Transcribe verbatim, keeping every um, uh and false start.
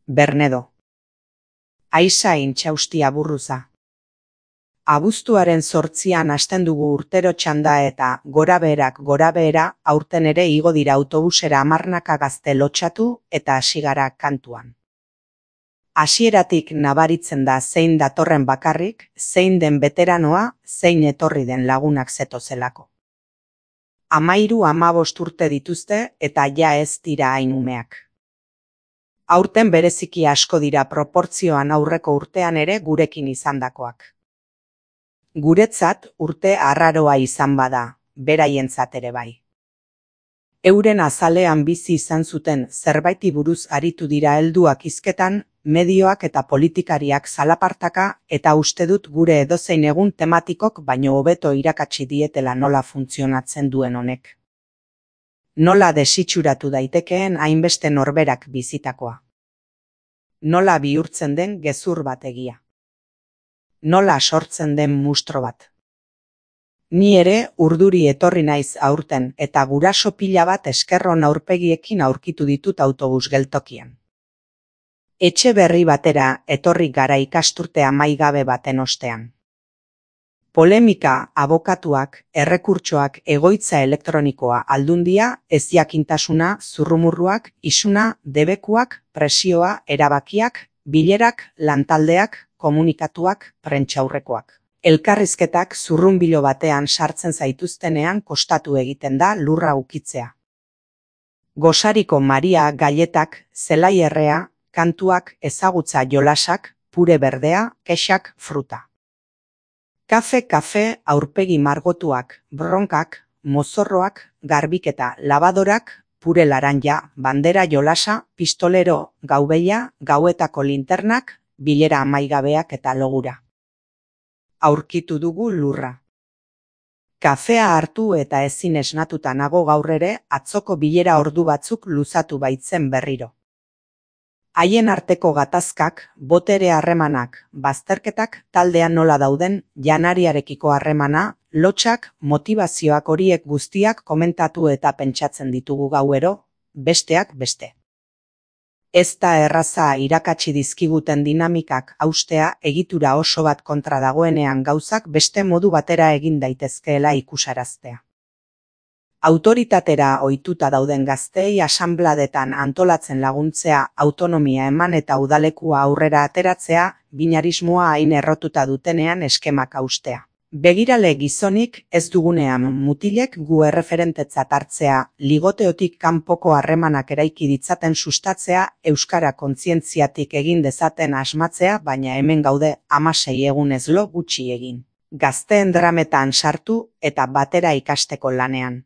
Bernedo. Aiza intxausti aburruza. Abuztuaren zortzian hasten dugu urtero txanda eta gorabeherak gorabehera aurten ere igo dira autobusera hamarnaka gazte lotxatu eta hasi gara kantuan. Hasieratik nabaritzen da zein datorren bakarrik, zein den beteranoa, zein etorri den lagunak zetozelako. Amairu amabost urte dituzte eta ja ez dira hain umeak. Aurten bereziki asko dira proportzioan aurreko urtean ere gurekin izandakoak. Guretzat urte arraroa izan bada, beraientzat ere bai. Euren azalean bizi izan zuten zerbaiti buruz aritu dira helduak hizketan, medioak eta politikariak zalapartaka eta uste dut gure edozein egun tematikok baino hobeto irakatsi dietela nola funtzionatzen duen honek. Nola desitxuratu daitekeen hainbeste norberak bizitakoa. Nola bihurtzen den gezur bat egia. Nola sortzen den mustro bat. Ni ere urduri etorri naiz aurten eta guraso pila bat eskerron aurpegiekin aurkitu ditut autobus geltokian. Etxe berri batera etorri gara ikasturte amaigabe baten ostean. Polemika, abokatuak, errekurtsoak, egoitza elektronikoa, aldundia, ezjakintasuna, zurrumurruak, isuna, debekuak, presioa, erabakiak, bilerak, lantaldeak, komunikatuak, prentsaurrekoak. Elkarrizketak zurrunbilo batean sartzen zaituztenean kostatu egiten da lurra ukitzea. Gosariko Maria gailetak, zelai errea, kantuak, ezagutza jolasak, pure berdea, kexak, fruta. Kafe, kafe, aurpegi margotuak, bronkak, mozorroak, garbiketa, labadorak, pure laranja, bandera jolasa, pistolero, gaubeia, gauetako linternak, bilera amaigabeak eta logura. Aurkitu dugu lurra. Kafea hartu eta ezin esnatuta nago gaur ere, atzoko bilera ordu batzuk luzatu baitzen berriro. Haien arteko gatazkak, botere harremanak, bazterketak taldean nola dauden, janariarekiko harremana, lotxak, motivazioak horiek guztiak komentatu eta pentsatzen ditugu gauero, besteak beste. Ez da erraza irakatsi dizkiguten dinamikak haustea egitura oso bat kontra dagoenean gauzak beste modu batera egin daitezkeela ikusaraztea. Autoritatera ohituta dauden gazteei asanbladetan antolatzen laguntzea, autonomia eman eta udalekua aurrera ateratzea, binarismoa hain errotuta dutenean eskemak haustea. Begirale gizonik ez dugunean mutilek gu erreferentetzat hartzea, ligoteotik kanpoko harremanak eraiki ditzaten sustatzea, euskara kontzientziatik egin dezaten asmatzea, baina hemen gaude hamasei egunez lo gutxi egin. Gazteen drametan sartu eta batera ikasteko lanean.